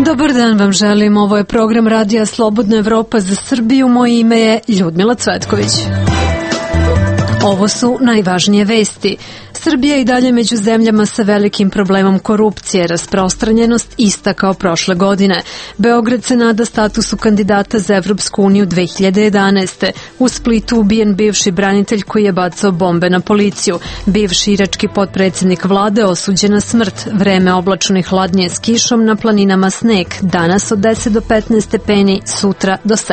Dobar dan vam želim, ovo je program Radija Slobodna Evropa za Srbiju, moje ime je Ljudmila Cvetković. Ovo su najvažnije vesti. Srbija je i dalje među zemljama sa velikim problemom korupcije, rasprostranjenost ista kao prošle godine. Beograd se nada statusu kandidata za Evropsku uniju 2011. U Splitu ubijen bivši branitelj koji je bacao bombe na policiju. Bivši irački potpredsjednik vlade osuđen na smrt. Vreme oblačno i hladnije s kišom, na planinama sneg. Danas od 10 do 15 stepeni, sutra do 7.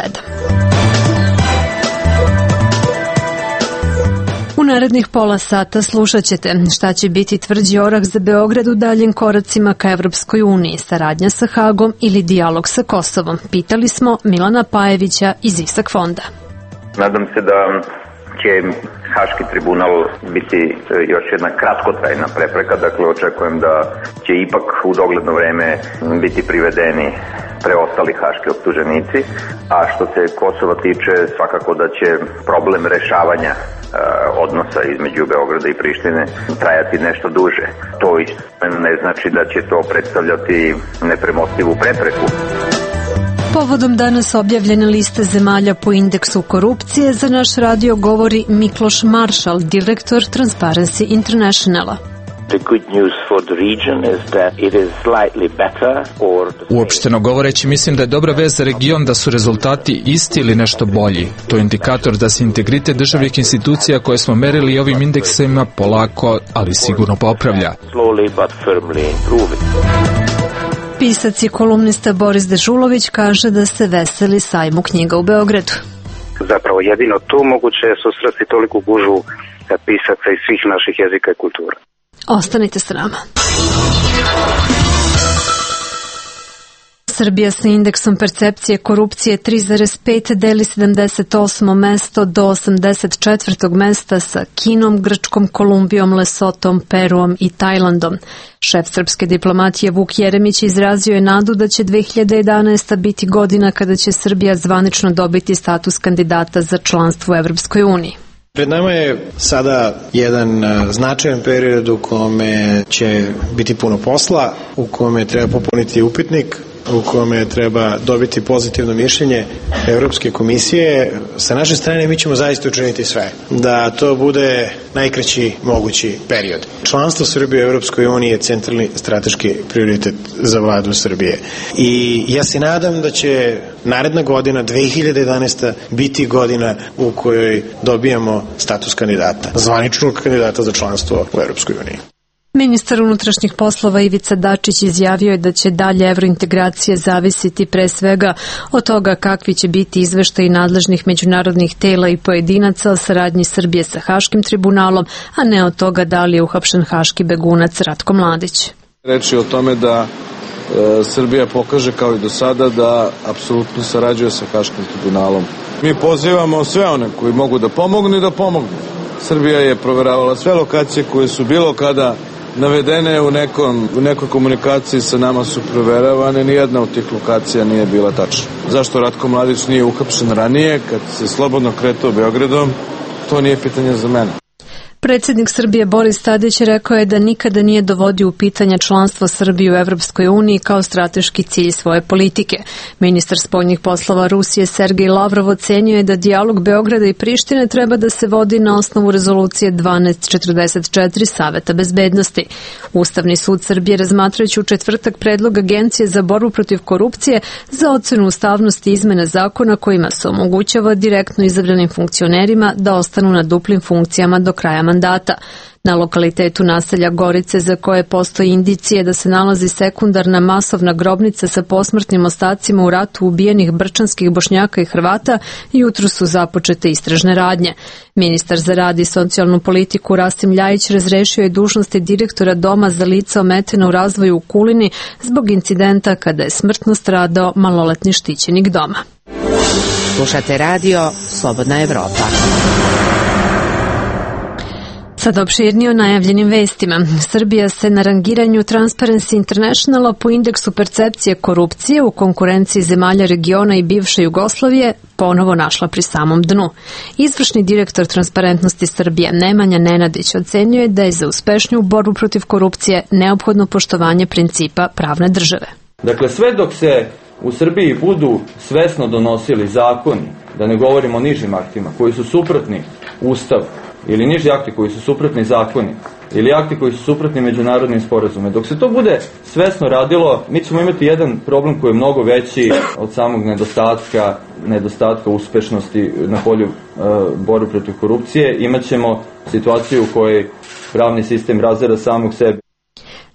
U narednih pola sata slušat ćete šta će biti tvrđi orah za Beograd u daljim koracima ka Evropskoj uniji, saradnja sa Hagom ili dijalog sa Kosovom. Pitali smo Milana Pajevića iz Isak fonda. Nadam se da će Haški tribunal biti još jedna kratkotrajna prepreka, dakle očekujem da će ipak u dogledno vreme biti privedeni preostali haški optuženici, a što se Kosova tiče svakako da će problem rešavanja odnosa između Beograda i Prištine trajati nešto duže. To ne znači da će to predstavljati nepremostivu prepreku. Povodom danas objavljene liste zemalja po indeksu korupcije, za naš radio govori Mikloš Maršal, direktor Transparency Internationala. Uopšteno govoreći, mislim da je dobra vest za region da su rezultati isti ili nešto bolji. To je indikator da se integritet državnih institucija koje smo merili ovim indeksima polako, ali sigurno popravlja. Pisac i kolumnista Boris Dežulović kaže da se veseli sajmu knjiga u Beogradu. Zapravo jedino tu moguće je susresti toliku gužvu pisaca iz svih naših jezika i kultura. Ostanite s nama. Srbija sa indeksom percepcije korupcije 3,5 deli 78. mesto do 84. mesta sa Kinom, Grčkom, Kolumbijom, Lesotom, Peruom i Tajlandom. Šef srpske diplomatije Vuk Jeremić izrazio je nadu da će 2011. biti godina kada će Srbija zvanično dobiti status kandidata za članstvo u Evropskoj uniji. Pred nama je sada jedan značajan period u kome će biti puno posla, u kome treba popuniti upitnik, u kome treba dobiti pozitivno mišljenje Evropske komisije. Sa naše strane mi ćemo zaista učiniti sve da to bude najkraći mogući period. Članstvo Srbije u Evropskoj uniji je centralni strateški prioritet za vladu Srbije. I ja se nadam da će naredna godina, 2011. biti godina u kojoj dobijamo status kandidata, zvaničnog kandidata za članstvo u Evropskoj uniji. Ministar unutrašnjih poslova Ivica Dačić izjavio je da će dalje evrointegracije zavisiti pre svega od toga kakvi će biti izveštaji nadležnih međunarodnih tela i pojedinaca o saradnji Srbije sa Haškim tribunalom, a ne od toga da li je uhapšen haški begunac Ratko Mladić. Reč je o tome da Srbija pokaže kao i do sada da apsolutno sarađuje sa Haškim tribunalom. Mi pozivamo sve one koji mogu da pomognu i da pomognu. Srbija je proveravala sve lokacije koje su bilo kada navedene u nekoj komunikaciji sa nama su proveravane, nijedna od tih lokacija nije bila tačna. Zašto Ratko Mladić nije uhapšen ranije, kad se slobodno kretao Beogradom, to nije pitanje za mene. Predsjednik Srbije Boris Tadić rekao je da nikada nije dovodio u pitanje članstvo Srbije u Evropskoj uniji kao strateški cilj svoje politike. Ministar spoljnih poslova Rusije Sergej Lavrov ocenio je da dijalog Beograda i Prištine treba da se vodi na osnovu rezolucije 1244 Saveta bezbednosti. Ustavni sud Srbije, razmatrajući u četvrtak predlog Agencije za borbu protiv korupcije za ocenu ustavnosti izmene zakona kojima se omogućava direktno izabranim funkcionerima da ostanu na duplim funkcijama do kraja mandata. Na lokalitetu naselja Gorice, za koje postoji indicije da se nalazi sekundarna masovna grobnica sa posmrtnim ostacima u ratu ubijenih brčanskih Bošnjaka i Hrvata, jutro su započete istražne radnje. Ministar za rad i socijalnu politiku Rasim Ljajić razrešio je dužnosti direktora Doma za lica ometena u razvoju u Kulini zbog incidenta kada je smrtno stradao maloletni štićenik doma. Slušate radio Slobodna Evropa. Sad opširnije o najavljenim vestima. Srbija se na rangiranju Transparency Internationala po indeksu percepcije korupcije u konkurenciji zemalja regiona i bivše Jugoslavije ponovo našla pri samom dnu. Izvršni direktor Transparentnosti Srbije Nemanja Nenadić ocenio je da je za uspešniju borbu protiv korupcije neophodno poštovanje principa pravne države. Dakle, sve dok se u Srbiji budu svesno donosili zakoni, da ne govorimo o nižim aktima, koji su suprotni Ustavu, ili niži akti koji su suprotni zakoni, ili akti koji su suprotni međunarodnim sporazumima. Dok se to bude svesno radilo, mi ćemo imati jedan problem koji je mnogo veći od samog nedostatka uspešnosti na polju borbe protiv korupcije. Imaćemo situaciju u kojoj pravni sistem razara samog sebe.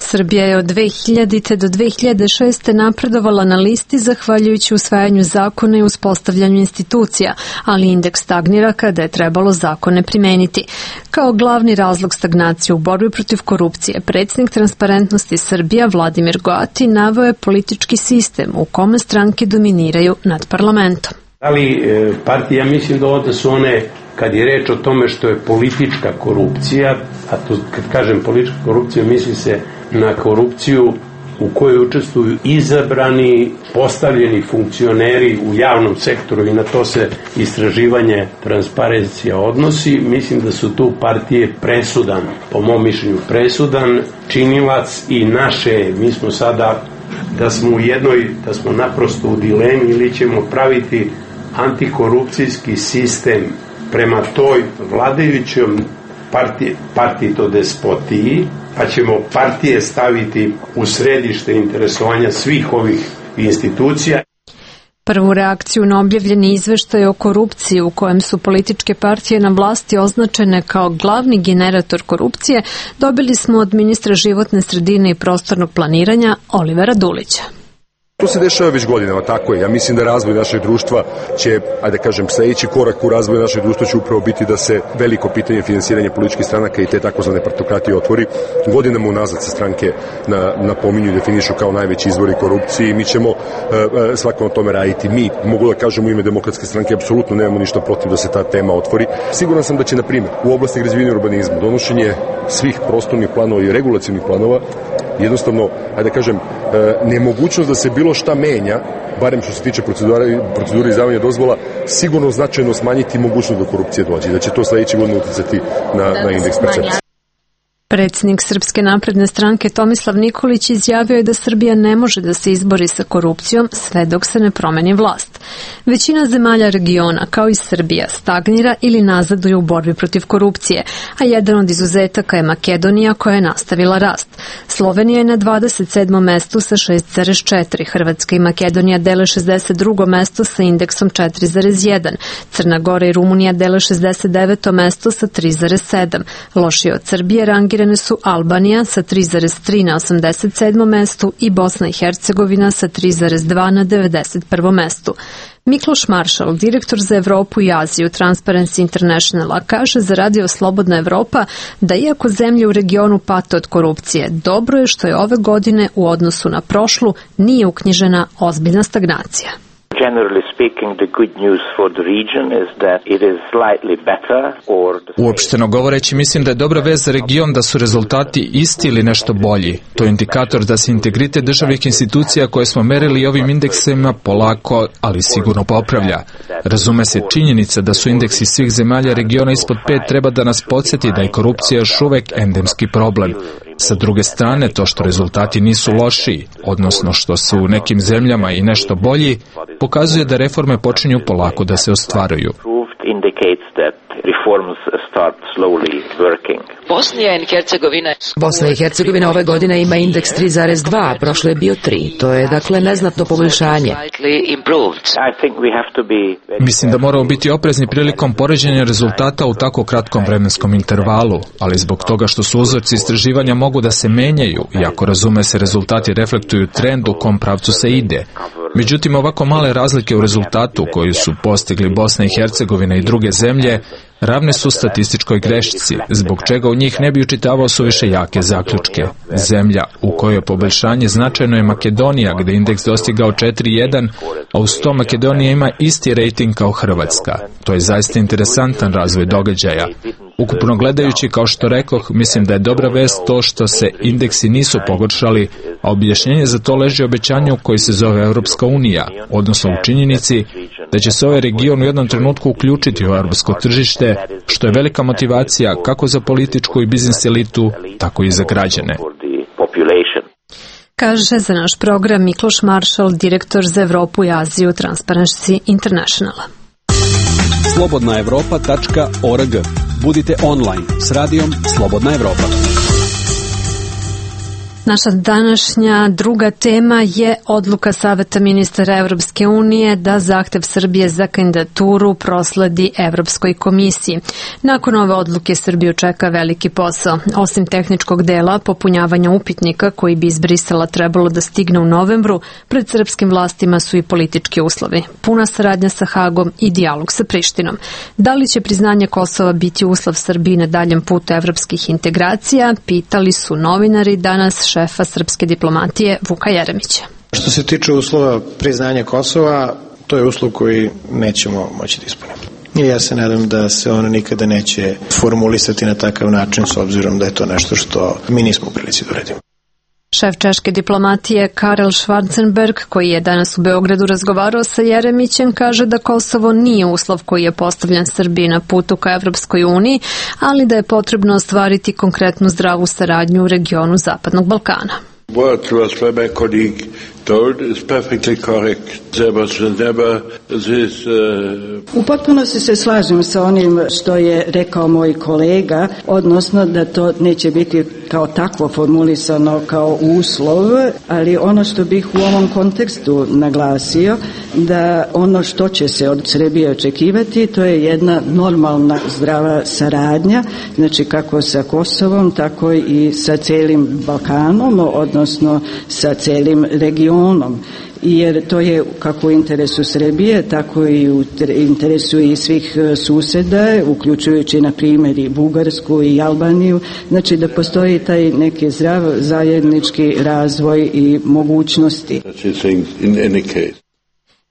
Srbija je od 2000. do 2006. napredovala na listi zahvaljujući usvajanju zakona i uspostavljanju institucija, ali indeks stagnira kada je trebalo zakone primeniti. Kao glavni razlog stagnacije u borbi protiv korupcije, predsjednik Transparentnosti Srbija Vladimir Goati naveo je politički sistem u kome stranke dominiraju nad parlamentom. Ali partija, mislim da ovdje su one, kad je reč o tome što je politička korupcija, a to kad kažem politička korupcija misli se na korupciju u kojoj učestvuju izabrani, postavljeni funkcioneri u javnom sektoru i na to se istraživanje Transparencija odnosi. Mislim da su tu partije presudan, po mom mišljenju presudan činilac i naše, mi smo sada da smo u jednoj, da smo naprosto u dilemi ili ćemo praviti antikorupcijski sistem prema toj vladajućom partitodespotiji, pa ćemo partije staviti u središte interesovanja svih ovih institucija. Prvu reakciju na objavljeni izveštaj o korupciji u kojem su političke partije na vlasti označene kao glavni generator korupcije dobili smo od ministra životne sredine i prostornog planiranja Olivera Dulića. To se dešava već godinama, tako je. Ja mislim da razvoj našeg društva će, ajde kažem, sljedeći korak u razvoju našeg društva će upravo biti da se veliko pitanje finansiranja političkih stranaka i te takozvane partokratije otvori. Godinama unazad se stranke napominju i definišu kao najveći izvori korupcije i mi ćemo svako na tome raditi. Mi, mogu da kažem u ime Demokratske stranke, apsolutno nemamo ništa protiv da se ta tema otvori. Siguran sam da će, na primjer, u oblasti građevine i urbanizma donošenje svih prostornih planova i regulacionih planova jednostavno, ajde kažem, nemogućnost da se bilo šta menja, barem što se tiče procedure izdavanja dozvola, sigurno značajno smanjiti mogućnost da korupcije dođe, da će to sljedeće godine uticati na indeks percepcije. Predsjednik Srpske napredne stranke Tomislav Nikolić izjavio je da Srbija ne može da se izbori sa korupcijom sve dok se ne promeni vlast. Većina zemalja regiona, kao i Srbija, stagnira ili nazaduje u borbi protiv korupcije, a jedan od izuzetaka je Makedonija koja je nastavila rast. Slovenija je na 27. mestu sa 6,4, Hrvatska i Makedonija dele 62. mesto sa indeksom 4,1, Crna Gora i Rumunija dele 69. mesto sa 3,7, lošije od Srbije rangirane su Albanija sa 3,3 na 87. mestu i Bosna i Hercegovina sa 3,2 na 91. mestu. Mikloš Maršal, direktor za Evropu i Aziju Transparency Internationala, kaže za Radio Slobodna Evropa da iako zemlje u regionu pate od korupcije, dobro je što je ove godine u odnosu na prošlu nije uknjižena ozbiljna stagnacija. Uopšteno govoreći, mislim da je dobra vest za region da su rezultati isti ili nešto bolji. To je indikator da se integritet državnih institucija koje smo merili ovim indeksima polako, ali sigurno popravlja. Razume se, činjenica da su indeksi svih zemalja regiona ispod 5 treba da nas podsjeti da je korupcija još uvek endemski problem. Sa druge strane, to što rezultati nisu lošiji, odnosno što su u nekim zemljama i nešto bolji, pokazuje da reforme počinju polako da se ostvaruju. Bosna i Hercegovina ove godine ima indeks 3,2, prošlo je bio 3. To je dakle neznatno poboljšanje. Mislim da moramo biti oprezni prilikom poređenja rezultata u tako kratkom vremenskom intervalu, ali zbog toga što su uzorci istraživanja mogu da se menjaju, iako razume se rezultati reflektuju trend u kom pravcu se ide. Međutim, ovako male razlike u rezultatu koju su postigli Bosna i Hercegovina i druge zemlje ravne su statističkoj grešci, zbog čega u njih ne bi učitavao suviše jake zaključke. Zemlja u kojoj je poboljšanje značajno je Makedonija, gde indeks dostigao 4,1, a uz to Makedonija ima isti rejting kao Hrvatska. To je zaista interesantan razvoj događaja. Ukupno gledajući, kao što rekoh, mislim da je dobra vest to što se indeksi nisu pogoršali, a objašnjenje za to leži u obećanju koji se zove Evropska unija, odnosno u činjenici da će se ovaj region u jednom trenutku uključiti u europsko tržište, što je velika motivacija kako za političku i biznis elitu, tako i za građane. Kaže za naš program Mikloš Maršal, direktor za Evropu i Aziju Transparency Internationala. Slobodnaevropa.org. Budite online s radijom Slobodna Evropa. Naša današnja druga tema je odluka Saveta ministara Evropske unije da zahtev Srbije za kandidaturu prosledi Evropskoj komisiji. Nakon ove odluke Srbiju čeka veliki posao. Osim tehničkog dela, popunjavanja upitnika koji bi iz Brisela trebalo da stigne u novembru, pred srpskim vlastima su i politički uslovi. Puna saradnja sa Hagom i dijalog sa Prištinom. Da li će priznanje Kosova biti uslov Srbiji na daljem putu evropskih integracija, pitali su novinari danas šefa srpske diplomatije Vuka Jeremića. Što se tiče uslova priznanja Kosova, to je uslov koji nećemo moći da ispunimo. I ja se nadam da se ono nikada neće formulisati na takav način, s obzirom da je to nešto što mi nismo u prilici da uradimo. Šef češke diplomatije Karel Schwarzenberg, koji je danas u Beogradu razgovarao sa Jeremićem, kaže da Kosovo nije uslov koji je postavljan Srbiji na putu ka Evropskoj uniji, ali da je potrebno ostvariti konkretnu zdravu saradnju u regionu Zapadnog Balkana. What was my colleague told is perfectly correct. There was never this, U potpunosti se slažem sa onim što je rekao moj kolega, odnosno da to neće biti kao takvo formulisano kao uslov, ali ono što bih u ovom kontekstu naglasio, da ono što će se od Srbije očekivati, to je jedna normalna zdrava saradnja, znači kako sa Kosovom, tako i sa celim Balkanom, odnosno sa celim regionom. Jer to je kako u interesu Srbije, tako i u interesu i svih suseda, uključujući na primjer i Bugarsku i Albaniju, znači da postoji taj neki zdrav zajednički razvoj i mogućnosti.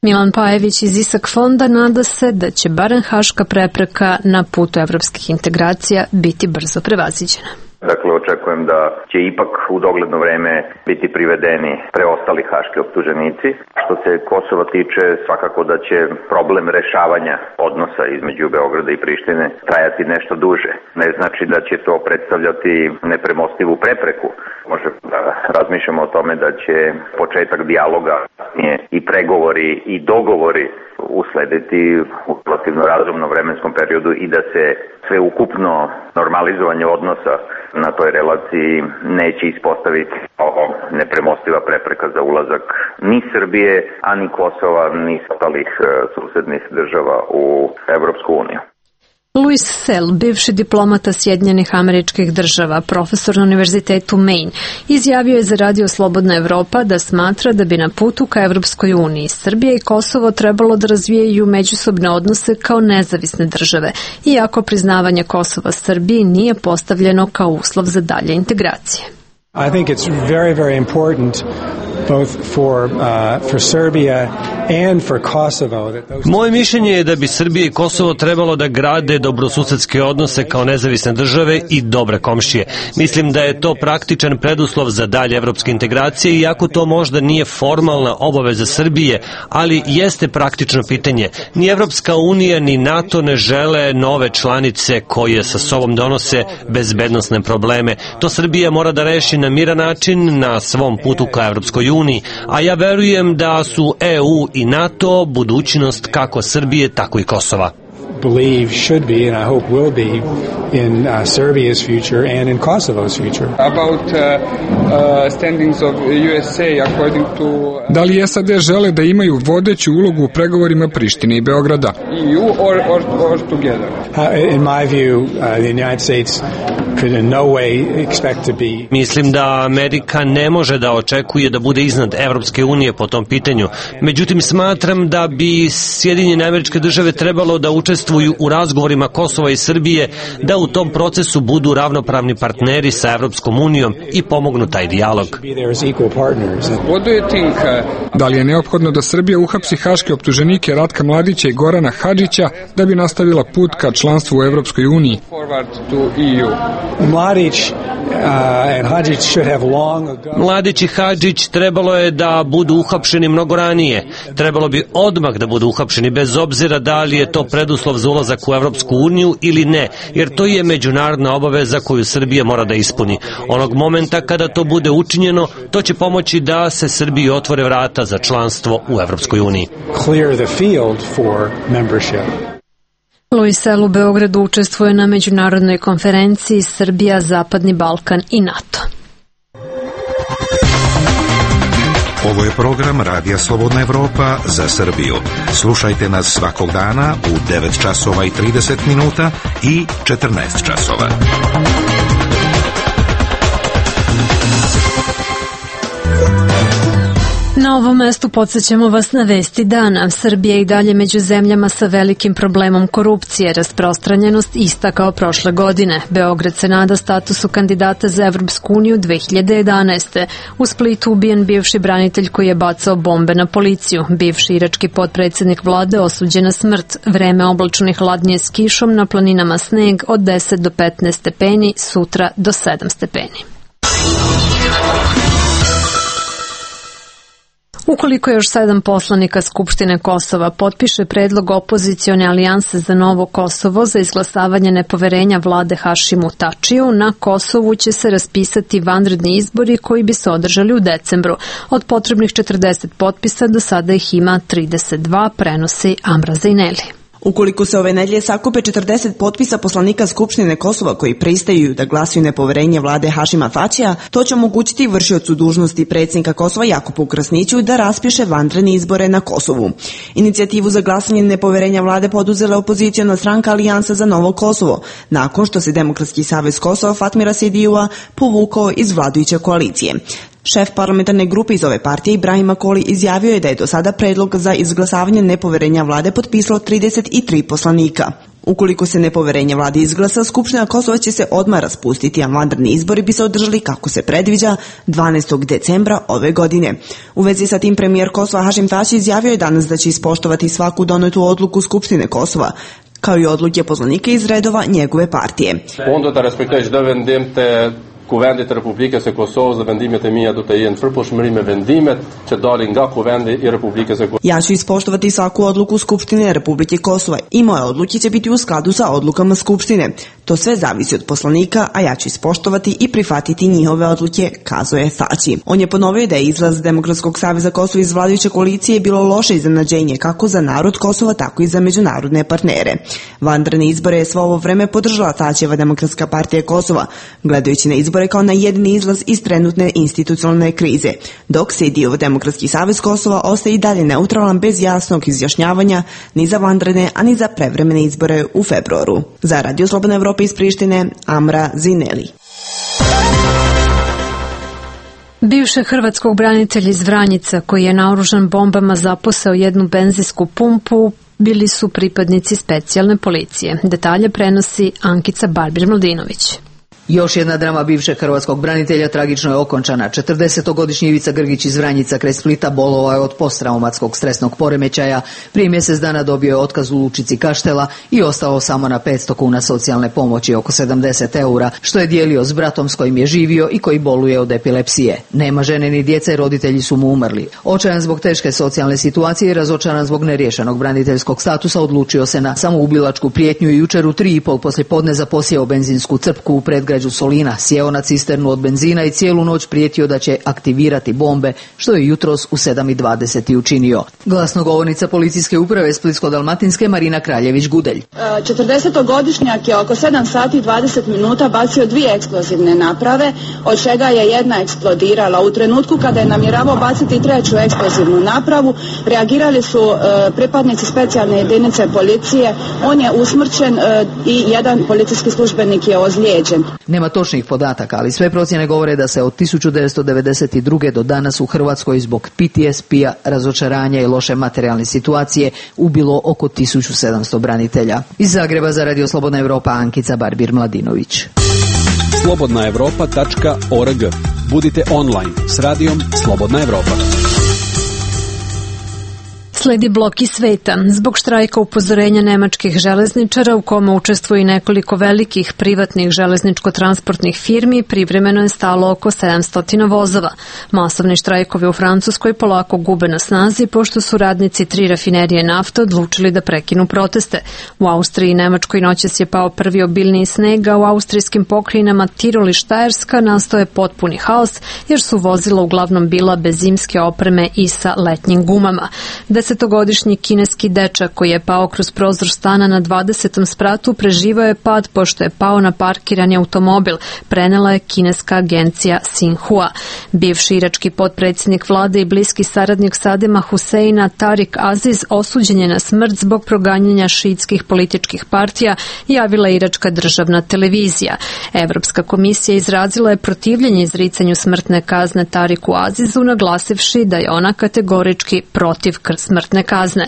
Milan Pajević iz Isak fonda nada se da će barem haška prepreka na putu evropskih integracija biti brzo prevaziđena. Dakle, očekujem da će ipak u dogledno vreme biti privedeni preostali haški optuženici. Što se Kosova tiče, svakako da će problem rešavanja odnosa između Beograda i Prištine trajati nešto duže. Ne znači da će to predstavljati nepremostivu prepreku. Može da razmišljamo o tome da će početak dijaloga i pregovori i dogovori uslediti u relativno razumnom vremenskom periodu i da se sveukupno normalizovanje odnosa na toj relaciji neće ispostaviti kao nepremostiva prepreka za ulazak ni Srbije, a ni Kosova, ni ostalih susednih država u Evropsku uniju. Louis Sell, bivši diplomata Sjedinjenih Američkih Država, profesor na Univerzitetu Maine, izjavio je za Radio Slobodna Evropa da smatra da bi na putu ka Evropskoj uniji Srbija i Kosovo trebalo da razvijaju međusobne odnose kao nezavisne države, iako priznavanje Kosova Srbiji nije postavljeno kao uslov za dalje integracije. I think it's very, very important both for Serbia and for Kosovo. Moje mišljenje je da bi Srbija i Kosovo trebalo da grade dobrosusedske odnose kao nezavisne države i dobre komšije. Mislim da je to praktičan preduslov za dalje evropske integracije, iako to možda nije formalna obaveza Srbije, ali jeste praktično pitanje. Ni Evropska unija ni NATO ne žele nove članice koje sa sobom donose bezbednosne probleme. To Srbija mora da reši na miran način na svom putu ka Evropskoj uniji, a ja verujem da su EU i NATO budućnost kako Srbije, tako i Kosova. Believe should be, and I hope will be, in Serbia's future and in Kosovo's future. About standings of USA according to... Da li SAD žele da imaju vodeću ulogu u pregovorima Prištine i Beograda? EU or together? In my view, the United States could in no way expect to be... Mislim da Amerika ne može da očekuje da bude iznad Evropske unije po tom pitanju. Međutim, smatram da bi Sjedinjene Američke Države trebalo da učestvuju u razgovorima Kosova i Srbije, da u tom procesu budu ravnopravni partneri sa Evropskom unijom i pomognu taj dijalog. Da li je neophodno da Srbija uhapsi haške optuženike Ratka Mladića i Gorana Hadžića da bi nastavila put ka članstvu u Evropskoj uniji? Mladić i Hadžić trebalo je da budu uhapšeni mnogo ranije. Trebalo bi odmah da budu uhapšeni, bez obzira da li je to preduslov za ulazak u Evropsku uniju ili ne, jer to je međunarodna obaveza koju Srbija mora da ispuni. Onog momenta kada to bude učinjeno, to će pomoći da se Srbiji otvore vrata za članstvo u Evropskoj uniji. Luis Sel u Beogradu učestvuje na međunarodnoj konferenciji Srbija, Zapadni Balkan i NATO. Ovo je program Radija Slobodna Evropa za Srbiju. Slušajte nas svakog dana u 9 časova i 30 minuta i 14 časova. Na ovom mestu podsjećamo vas na vesti dana. Srbija je i dalje među zemljama sa velikim problemom korupcije, rasprostranjenost ista kao prošle godine. Beograd se nada statusu kandidata za Evropsku uniju 2011. U Splitu ubijen bivši branitelj koji je bacao bombe na policiju. Bivši irački potpredsjednik vlade osuđen na smrt. Vreme oblačno i hladnije s kišom, na planinama sneg od 10 do 15 stepeni, sutra do 7 stepeni. Ukoliko još 7 poslanika Skupštine Kosova potpiše predlog opozicione alijanse za novo Kosovo za izglasavanje nepoverenja vlade Hašimu Tačiju, na Kosovu će se raspisati vanredni izbori koji bi se održali u decembru. Od potrebnih 40 potpisa do sada ih ima 32, prenosi Amra Zaineli. Ukoliko se ove nedelje sakupe 40 potpisa poslanika Skupštine Kosova koji pristaju da glasuju nepoverenje vlade Hašima Tačija, to će omogućiti vršiocu dužnosti predsjednika Kosova Jakupu Krasniću da raspiše vanredne izbore na Kosovu. Inicijativu za glasanje nepoverenja vlade poduzela opoziciona stranka Alijansa za novo Kosovo, nakon što se Demokratski savez Kosova Fatmira Sidijua povukao iz vladajuće koalicije. Šef parlamentarne grupe iz ove partije Ibrahim Akoli izjavio je da je do sada predlog za izglasavanje nepoverenja vlade potpisalo 33 poslanika. Ukoliko se nepoverenje vlade izglasa, Skupština Kosova će se odmah raspustiti, a vanredni izbori bi se održali kako se predviđa 12. decembra ove godine. U vezi sa tim premijer Kosova Hašim Tači izjavio je danas da će ispoštovati svaku donetu odluku Skupštine Kosova, kao i odluke poslanika iz redova njegove partije. Kuvendit Republikës së Kosovës dhe vendimet e mia do të jenë përputhshmëri me vendimet që dalin nga kuvendi i Republikës së Kosovës. Ja ću ispoštovati svaku odluku Skupštine Republike Kosova i moje odluke će biti u skladu sa odlukama Skupštine. To sve zavisi od poslanika, a ja ću ispoštovati i prihvatiti njihove odluke, kazuje Tači. On je ponovio da je izlaz Demokratskog saveza Kosova iz vladajuće koalicije bilo loše iznenađenje kako za narod Kosova, tako i za međunarodne partnere. Vanredne izbore je svo ovo vreme podržala Tačijeva Demokratska partija Kosova, gledajući na izbore kao na jedini izlaz iz trenutne institucionalne krize, dok Sidijov Demokratski savez Kosova ostaje i dalje neutralan bez jasnog izjašnjavanja ni za vanredne, ani za prevremene izbore u februaru. Za Radio Slobodna Evropa iz Prištine, Amra Zineli. Bivšeg hrvatskog branitelja iz Vranjica koji je naoružan bombama zaposao jednu benzinsku pumpu bili su pripadnici specijalne policije. Detalje prenosi Ankica Barbir-Mladinović. Još jedna drama bivšeg hrvatskog branitelja tragično je okončana. 40-godišnji Ivica Grgić iz Vranjica kraj Splita bolovao je od posttraumatskog stresnog poremećaja. Prije mjesec dana dobio je otkaz u lučici Kaštela i ostao samo na 500 kuna socijalne pomoći, oko 70 eura, što je dijelio s bratom s kojim je živio i koji boluje od epilepsije. Nema žene ni djece, roditelji su mu umrli. Očajan zbog teške socijalne situacije i razočaran zbog neriješenog braniteljskog statusa odlučio se na samoubilačku prijetnju i jučer u 3:30 poslijepodne zaposjeo benzinsku crpku u predgrađu Solina, sjeo na cisternu od benzina i cijelu noć prijetio da će aktivirati bombe, što je jutros u 7:20 učinio. Glasnogovornica policijske uprave Splitsko-dalmatinske Marina Kraljević-Gudelj. 40-godišnjak je oko 7 sati i 20 minuta bacio 2 eksplozivne naprave, od čega je jedna eksplodirala. U trenutku kada je namjeravao baciti 3. eksplozivnu napravu, reagirali su pripadnici specijalne jedinice policije. On je usmrćen i jedan policijski službenik je ozlijeđen. Nema točnih podataka, ali sve procjene govore da se od 1992. do danas u Hrvatskoj zbog PTSP-a, razočaranja i loše materijalne situacije ubilo oko 1700 branitelja. Iz Zagreba za Radio Slobodna Evropa, Ankica Barbir-Mladinović. slobodnaevropa.org. Budite online s Radijom Slobodna Evropa. Sledi blok iz sveta. Zbog štrajka upozorenja nemačkih železničara u kome učestvuje nekoliko velikih privatnih železničko-transportnih firmi, privremeno je stalo oko 700 vozova. Masovni štrajkovi u Francuskoj polako gube na snazi pošto su radnici 3 rafinerije nafte odlučili da prekinu proteste. U Austriji i Nemačkoj noćas je pao prvi obilniji sneg, a u austrijskim pokrajinama Tirol i Štajerska nastao je potpuni haos jer su vozila uglavnom bila bez zimske opreme i sa letnjim gumama. 10-godišnji kineski dečak koji je pao kroz prozor stana na 20. spratu preživao je pad pošto je pao na parkirani automobil, prenela je kineska agencija Xinhua. Bivši irački potpredsjednik vlade i bliski saradnik Sadema Huseina Tarik Aziz osuđen je na smrt zbog proganjanja šiitskih političkih partija, javila iračka državna televizija. Evropska komisija izrazila je protivljenje izricanju smrtne kazne Tariku Azizu, naglasivši da je ona kategorički protiv smrtne kazne.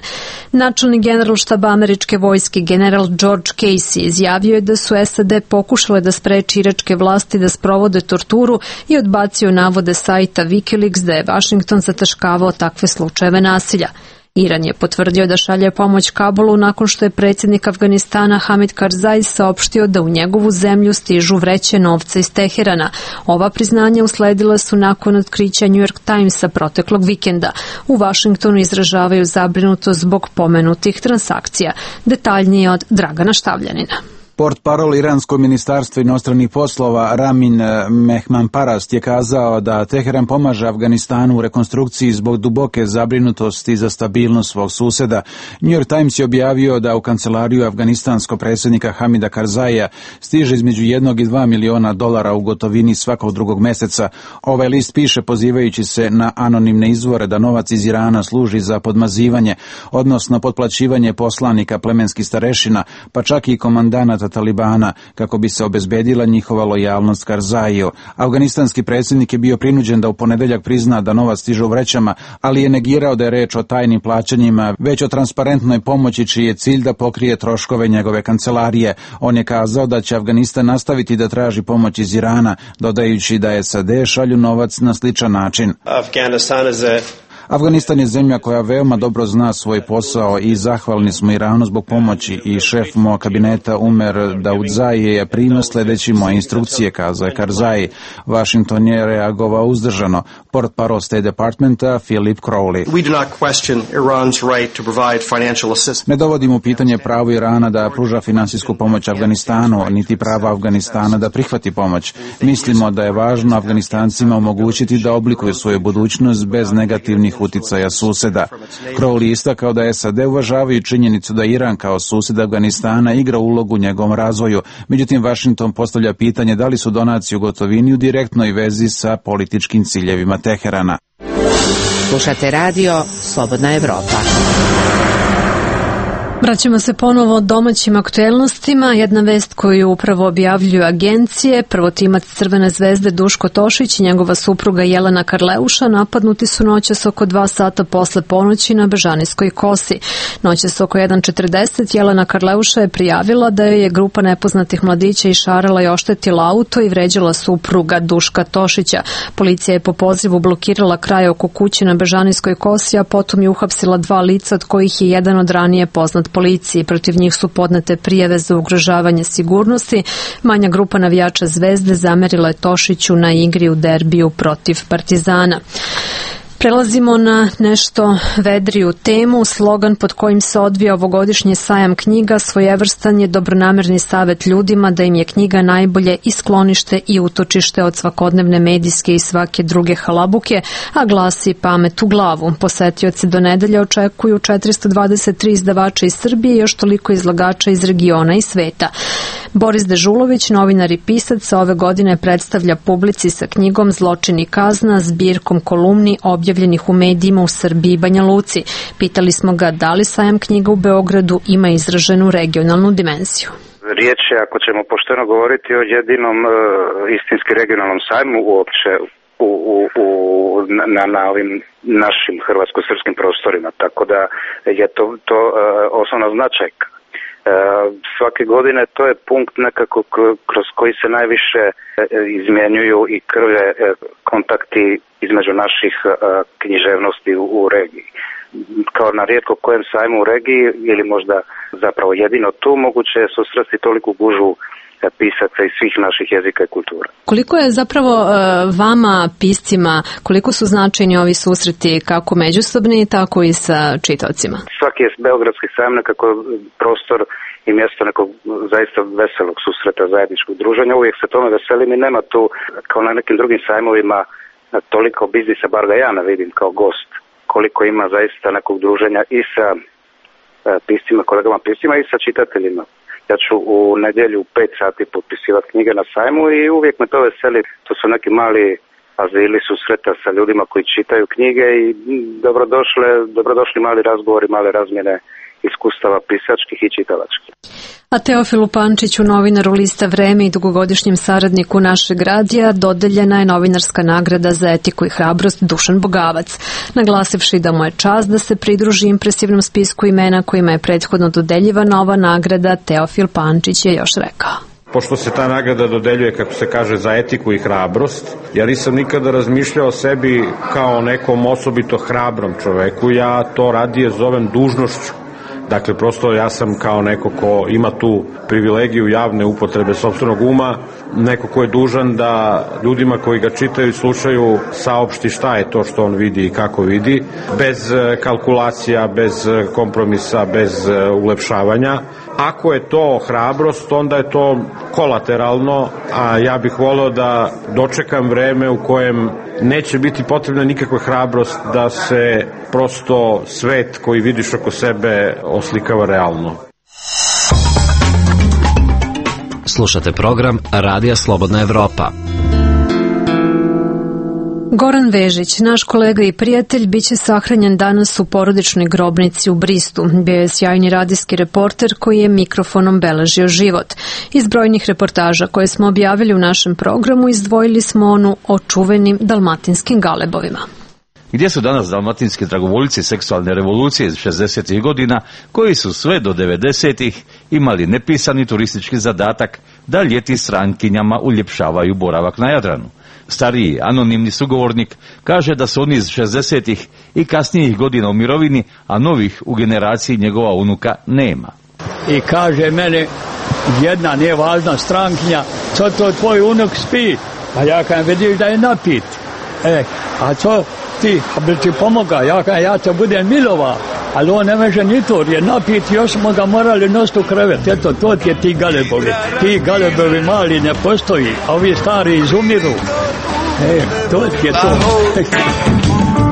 Načelni general štaba američke vojske general George Casey izjavio je da su SAD pokušale da spreči iračke vlasti da sprovode torturu i odbacio navode sajta Wikileaks da je Washington zataškavao takve slučajeve nasilja. Iran je potvrdio da šalje pomoć Kabulu nakon što je predsjednik Afganistana Hamid Karzai saopštio da u njegovu zemlju stižu vreće novca iz Teherana. Ova priznanja usledila su nakon otkrića New York Timesa proteklog vikenda. U Vašingtonu izražavaju zabrinutost zbog pomenutih transakcija. Detaljnije od Dragana Štavljanina. Portparol Iranskog ministarstva inostranih poslova Ramin Mehmanparast je kazao da Teheran pomaže Afganistanu u rekonstrukciji zbog duboke zabrinutosti za stabilnost svog suseda. New York Times je objavio da u kancelariju afganistanskog predsjednika Hamida Karzaija stiže između 1 i 2 miliona dolara u gotovini svakog drugog meseca. Ovaj list piše pozivajući se na anonimne izvore da novac iz Irana služi za podmazivanje, odnosno potplaćivanje poslanika plemenskih starešina, pa čak i komandanata Talibana, kako bi se obezbedila njihova lojalnost Karzaiju. Afganistanski predsjednik je bio prinuđen da u ponedeljak prizna da novac stiže u vrećama, ali je negirao da je reč o tajnim plaćanjima, već o transparentnoj pomoći čiji je cilj da pokrije troškove njegove kancelarije. On je kazao da će Afganistan nastaviti da traži pomoć iz Irana, dodajući da SAD šalju novac na sličan način. Afganistan je zemlja koja veoma dobro zna svoj posao i zahvalni smo Iranu zbog pomoći i šef mog kabineta Umer Daudzai je primio sledeći moje instrukcije, kazao je Karzai. Washington je reagovao uzdržano. Portparol State Departmenta Philip Crowley. Ne dovodimo u pitanje pravo Irana da pruža finansijsku pomoć Afganistanu, niti prava Afganistana da prihvati pomoć. Mislimo da je važno Afganistancima omogućiti da oblikuju svoju budućnost bez negativnih uticaja suseda. Crowley istakao da SAD uvažavaju činjenicu da Iran kao sused Afganistana igra ulogu u njegovom razvoju. Međutim, Washington postavlja pitanje da li su donacije u gotovini u direktnoj vezi sa političkim ciljevima Teherana. Slušate radio Slobodna Evropa. Vraćamo se ponovo domaćim aktuelnostima. Jedna vest koju upravo objavljuju agencije. Prvotimac Crvene zvezde Duško Tošić i njegova supruga Jelena Karleuša napadnuti su noćas oko 2 sata posle ponoći na Bežanijskoj kosi. Noćas oko 1:40 Jelena Karleuša je prijavila da joj je grupa nepoznatih mladića išarala i oštetila auto i vređala supruga Duška Tošića. Policija je po pozivu blokirala kraj oko kuće na Bežanijskoj kosi, a potom je uhapsila 2 lica od kojih je jedan od ranije poznat policiji. Protiv njih su podnete prijave za ugrožavanje sigurnosti. Manja grupa navijača Zvezde zamerila je Tošiću na igri u derbiju protiv Partizana. Prelazimo na nešto vedriju temu. Slogan pod kojim se odvija ovogodišnji sajam knjiga svojevrstan je dobronamerni savet ljudima da im je knjiga najbolje i sklonište i utočište od svakodnevne medijske i svake druge halabuke, a glasi pamet u glavu. Posetioci do nedelje očekuju 423 izdavača iz Srbije i još toliko izlagača iz regiona i sveta. Boris Dežulović, novinar i pisac, ove godine predstavlja publici sa knjigom Zločin i kazna, zbirkom kolumni objavljenih u medijima u Srbiji i Banja Luci. Pitali smo ga da li sajam knjiga u Beogradu ima izraženu regionalnu dimenziju. Riječ je, ako ćemo pošteno govoriti, o jedinom istinski regionalnom sajmu uopće na ovim našim hrvatsko-srpskim prostorima, tako da je to osnovna značajka. Svake godine to je punkt nekako kroz koji se najviše izmjenjuju i krve kontakti između naših književnosti u regiji. kao na rijetko kojem sajmu u regiji ili možda zapravo jedino tu moguće je susresti toliku gužvu pisaca iz svih naših jezika i kultura. Koliko je zapravo vama, piscima, koliko su značajni ovi susreti kako međusobni, tako i sa čitaocima? Svaki je beogradski sajam nekako prostor i mjesto nekog zaista veselog susreta, zajedničkog druženja. Uvijek se tome veselim i nema tu, kao na nekim drugim sajmovima, toliko biznisa, bar ga ja ne vidim kao gost, koliko ima zaista nekog druženja i sa piscima, kolegama piscima i sa čitateljima. Ja ću u nedjelju u 5 sati potpisivati knjige na sajmu i uvijek me to veseli. To su neki mali azili susreta sa ljudima koji čitaju knjige i dobrodošli mali razgovori, male razmjene iskustava pisačkih i čitalačkih. A Teofilu Pančiću, novinaru lista Vreme i dugogodišnjem saradniku našeg radija, dodeljena je novinarska nagrada za etiku i hrabrost Dušan Bogavac, naglasivši da mu je čast da se pridruži impresivnom spisku imena kojima je prethodno dodeljivana ova nagrada. Teofil Pančić je još rekao: Pošto se ta nagrada dodeljuje, kako se kaže, za etiku i hrabrost, ja nisam nikada razmišljao o sebi kao nekom osobito hrabrom čoveku, ja to radije zovem dužnošću. Dakle, prosto ja sam kao neko ko ima tu privilegiju javne upotrebe sopstvenog uma, neko ko je dužan da ljudima koji ga čitaju i slušaju saopšti šta je to što on vidi i kako vidi, bez kalkulacija, bez kompromisa, bez ulepšavanja. Ako je to hrabrost, onda je to kolateralno, a ja bih voleo da dočekam vreme u kojem neće biti potrebna nikakva hrabrost da se prosto svet koji vidiš oko sebe oslikava realno. Slušate program Radija Slobodna Evropa. Goran Vežić, naš kolega i prijatelj, biće sahranjen danas u porodičnoj grobnici u Bristu. Bio je sjajni radijski reporter koji je mikrofonom beležio život. Iz brojnih reportaža koje smo objavili u našem programu izdvojili smo onu o čuvenim dalmatinskim galebovima. Gdje su danas dalmatinski dragovoljci seksualne revolucije iz 60. godina, koji su sve do 90. imali nepisani turistički zadatak da ljeti strankinjama uljepšavaju boravak na Jadranu? Stariji, anonimni sugovornik kaže da su oni iz 60. i kasnijih godina u mirovini, a novih u generaciji njegova unuka nema. I kaže mene jedna nevažna strankinja: co to tvoj unuk spi? A ja kažem: vidiš da je napit. A co ti, bi ti pomoga? Ja te budem milova, ali on ne može ni to, jer je napit, još smo ga morali nositi u krevet. Eto, to ti je ti galebovi. Ti galebovi mali ne postoji, a ovi stari izumiru. To ti je to.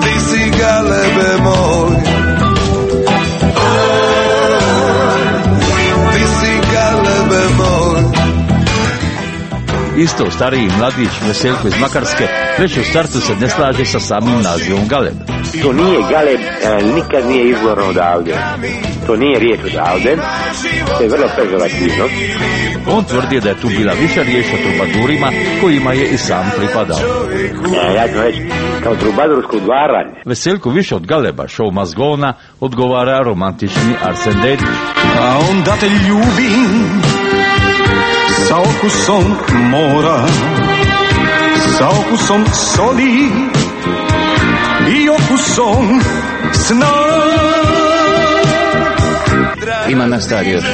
Ti si galebe moj, ti si galebe moj. Isto stariji mladić Veseljko iz Makarske već u startu se ne slaže sa samim nazivom galeb. To nije galeb, nikad nije izvorno odavde. To nije riječ odavde, to je vrlo pežorativno. On tvrdi da je tu bila više riječ o trubadurima kojima je i sam pripadao. Ja ću reći kao trubadursko udvaranje. Veseljko više od galeba, show mazgona, odgovara romantični Arsen Dedić. A onda te ljubim sa okusom mora, sa okusom soli i okusom sna. Ima nas stari još.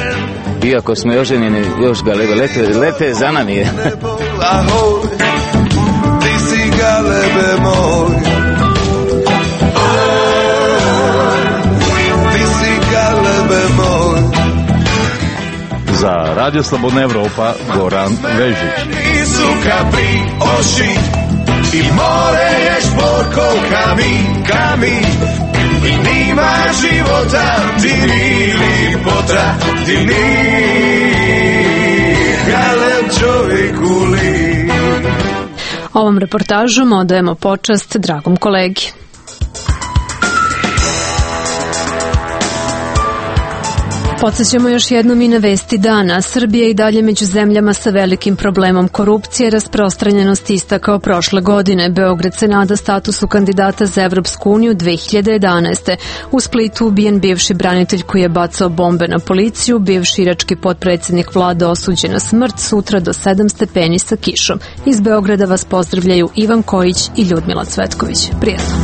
Iako smo još ženjeni, još galebe lete za nami. Ti si galebe moj, ti si galebe moj. Za Radio Slobodna Evropa, Goran Vežić. Nisu kapri oši i more je šporko kamin. I nima života, ti ni lipota, ti ni galeb čovjeku li. Ovom reportažom odajemo počast dragom kolegi. Podsjećamo još jednom i na vesti dana. Srbija i dalje među zemljama sa velikim problemom korupcije, rasprostranjenosti ista kao prošle godine. Beograd se nada statusu kandidata za Evropsku uniju 2011. U Splitu ubijen bivši branitelj koji je bacao bombe na policiju, bivši irački potpredsjednik vlade osuđen na smrt, sutra do 7 stepeni sa kišom. Iz Beograda vas pozdravljaju Ivan Kojić i Ljudmila Cvetković. Prijetno.